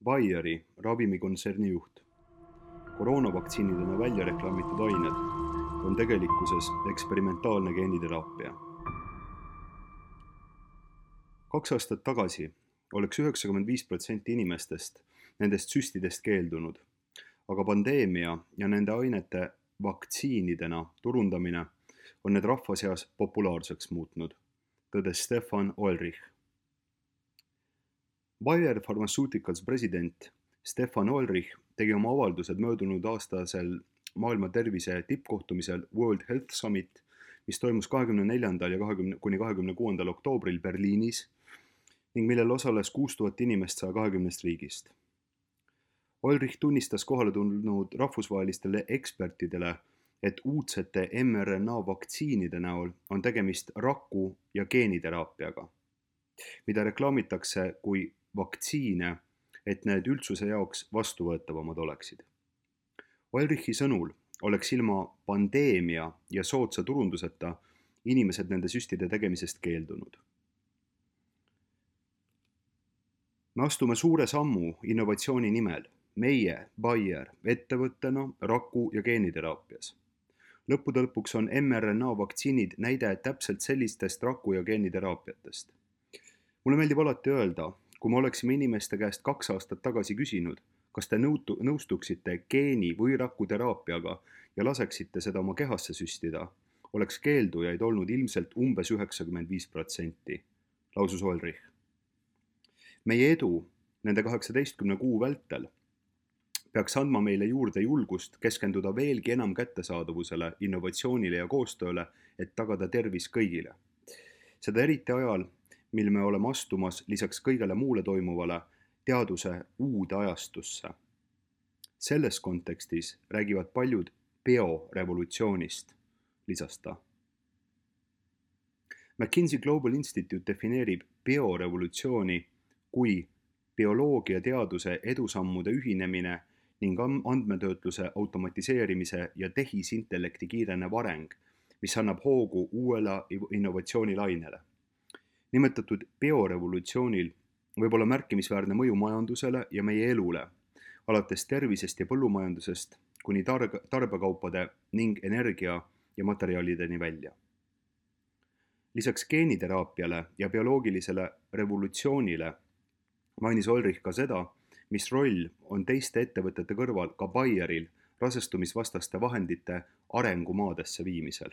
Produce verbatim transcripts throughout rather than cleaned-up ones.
Bayeri ravimikontserni juht. Koroonavaktsiinidena välja reklaamitud ained on tegelikkuses eksperimentaalne geeniteraapia. Kaks aastat tagasi oleks üheksakümmend viis protsenti inimestest nendest süstidest keeldunud, aga pandeemia ja nende ainete vaktsiinidena turundamine on need rahva seas populaarseks muutnud, tõdes Stefan Oelrich. Bayer Pharmaceuticals president Stefan Oelrich tegi oma avaldused möödunud aastasel maailma tervise tippkohtumisel World Health Summit, mis toimus kahekümne neljandal ja kahekümne kuni kahekümne kuuendal oktoobril Berliinis ning millel osales kuus tuhat inimest saja kahekümnest riigist. Oelrich tunnistas kohale tulnud rahvusvahelistele ekspertidele, et uudsete mRNA vaktsiinide näol on tegemist raku- ja geeniteraapiaga, mida reklaamitakse kui vaktsiine, et need üldsuse jaoks vastuvõetavamad oleksid. Oelrichi sõnul oleks ilma pandeemia ja soodsa turunduseta inimesed nende süstide tegemisest keeldunud. Me astume suure sammu innovatsiooni nimel, meie, Bayer, ettevõttena raku- ja geeniteraapias. Lõppude lõpuks on mRNA vaktsiinid näide täpselt sellistest raku- ja geeniteraapiatest. Mulle meeldib alati öelda, kui me oleksime inimeste käest kaks aastat tagasi küsinud, kas te nõutu, nõustuksite geeni- või rakuteraapiaga ja laseksite seda oma kehasse süstida, oleks keeldujaid olnud ilmselt umbes üheksakümmend viis protsenti, lausus Oelrich. Meie edu nende kaheksateistkümne kuu vältel peaks andma meile juurde julgust keskenduda veelgi enam kättesaadavusele, innovatsioonile ja koostööle, et tagada tervis kõigile. Seda eriti ajal, mil me oleme astumas lisaks kõigele muule toimuvale teaduse uude ajastusse. Selles kontekstis räägivad paljud biorevolutsioonist, lisas ta. McKinsey Global Institute defineerib biorevolutsiooni kui bioloogiateaduse edusammude ühinemine ning andmetöötluse automatiseerimise ja tehisintellekti kiirenev areng, mis annab hoogu uuele innovatsioonilainele. Nimetatud biorevolutsioonil võib olla märkimisväärne mõju majandusele ja meie elule, alates tervisest ja põllumajandusest kuni tar- tarbekaupade ning energia ja materjalideni välja. Lisaks geeniteraapiale ja bioloogilisele revolutsioonile mainis Oelrich ka seda, mis roll on teiste ettevõtete kõrval ka Bayeril rasestumisvastaste vahendite arengumaadesse viimisel.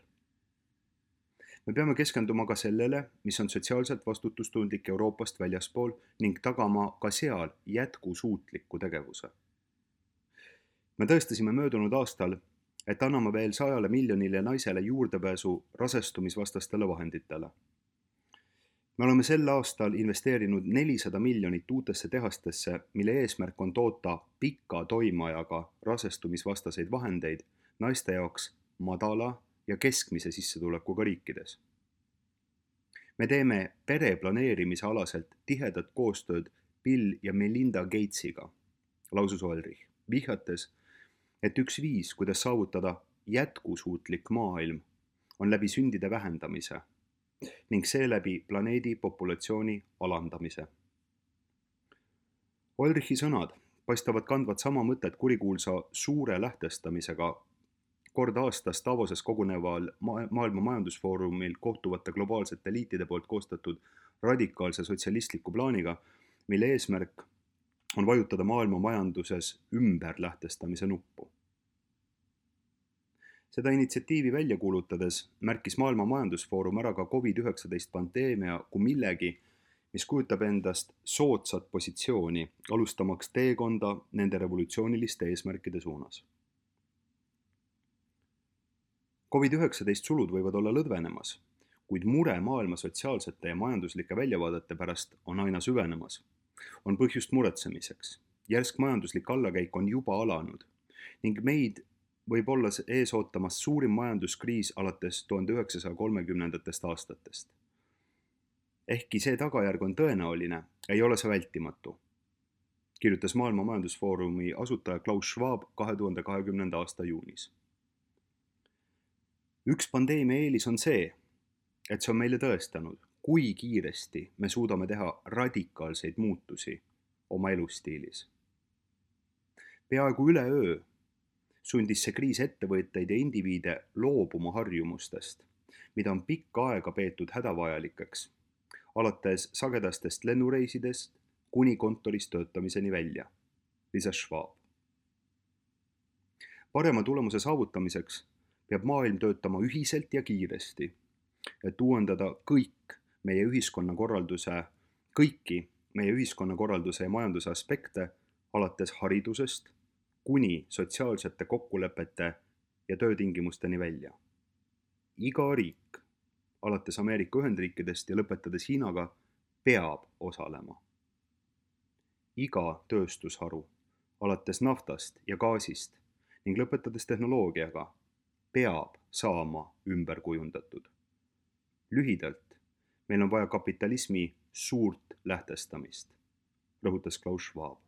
Me peame keskenduma ka sellele, mis on sotsiaalselt vastutustundlik Euroopast väljaspool ning tagama ka seal jätkusuutliku tegevuse. Me tõestasime möödunud aastal, et anname veel sajale miljonile naisele juurdepääsu rasestumisvastastele vahenditele. Me oleme sel aastal investeerinud nelisada miljonit uutesse tehastesse, mille eesmärk on toota pika toimeajaga rasestumisvastaseid vahendeid naiste jaoks madala ja keskmise sissetulekuga riikides. Me teeme pereplaneerimise alaselt tihedat koostööd Bill ja Melinda Gatesiga, lausus Oelrich, vihjates, et üks viis, kuidas saavutada jätkusuutlik maailm, on läbi sündide vähendamise ning seeläbi planeedi populatsiooni alandamise. Oelrichi sõnad paistavad kandvat sama mõtet kurikuulsa suure lähtestamisega kord aastas Davoses koguneval ma- maailma majandusfoorumil kohtuvate globaalsete liitide poolt koostatud radikaalse sotsialistliku plaaniga, mille eesmärk on vajutada maailma majanduses ümber lähtestamise nuppu. Seda initsiatiivi välja kuulutades märkis Maailma Majandusfoorum ära ka covid üheksateist pandeemia kui millegi, mis kujutab endast soodsat positsiooni, alustamaks teekonda nende revolutsiooniliste eesmärkide suunas. covid üheksateist sulud võivad olla lõdvenemas, kuid mure maailma sotsiaalsete ja majanduslike väljavaadete pärast on aina süvenemas. On põhjust muretsemiseks. Järsk majanduslik allakäik on juba alanud ning meid võib olla ees ootamas suurim majanduskriis alates tuhande üheksasaja kolmekümnendatest aastatest. Ehkki see tagajärg on tõenäoline, ei ole see vältimatu, kirjutas Maailma Majandusfoorumi asutaja Klaus Schwab kahe tuhande kahekümnenda aasta juunis. Üks pandeemia eelis on see, et see on meile tõestanud, kui kiiresti me suudame teha radikaalseid muutusi oma elustiilis. Peaaegu üleöö sundis see kriis ettevõtteid ja indiviide loobuma harjumustest, mida on pikka aega peetud hädavajalikeks, alates sagedastest lennureisidest kuni kontoris töötamiseni välja, lisas Schwab. Parema tulemuse saavutamiseks peab maailm töötama ühiselt ja kiiresti, et uuendada kõik meie ühiskonnakorralduse, kõiki meie ühiskonnakorralduse ja majanduse aspekte, alates haridusest kuni sotsiaalsete kokkulepete ja töötingimusteni välja. Iga riik, alates Ameerika Ühendriikidest ja lõpetades Hiinaga, peab osalema. Iga tööstusharu, alates naftast ja gaasist ning lõpetades tehnoloogiaga, peab saama ümber kujundatud. Lühidalt, meil on vaja kapitalismi suurt lähtestamist, rõhutas Klaus Schwab.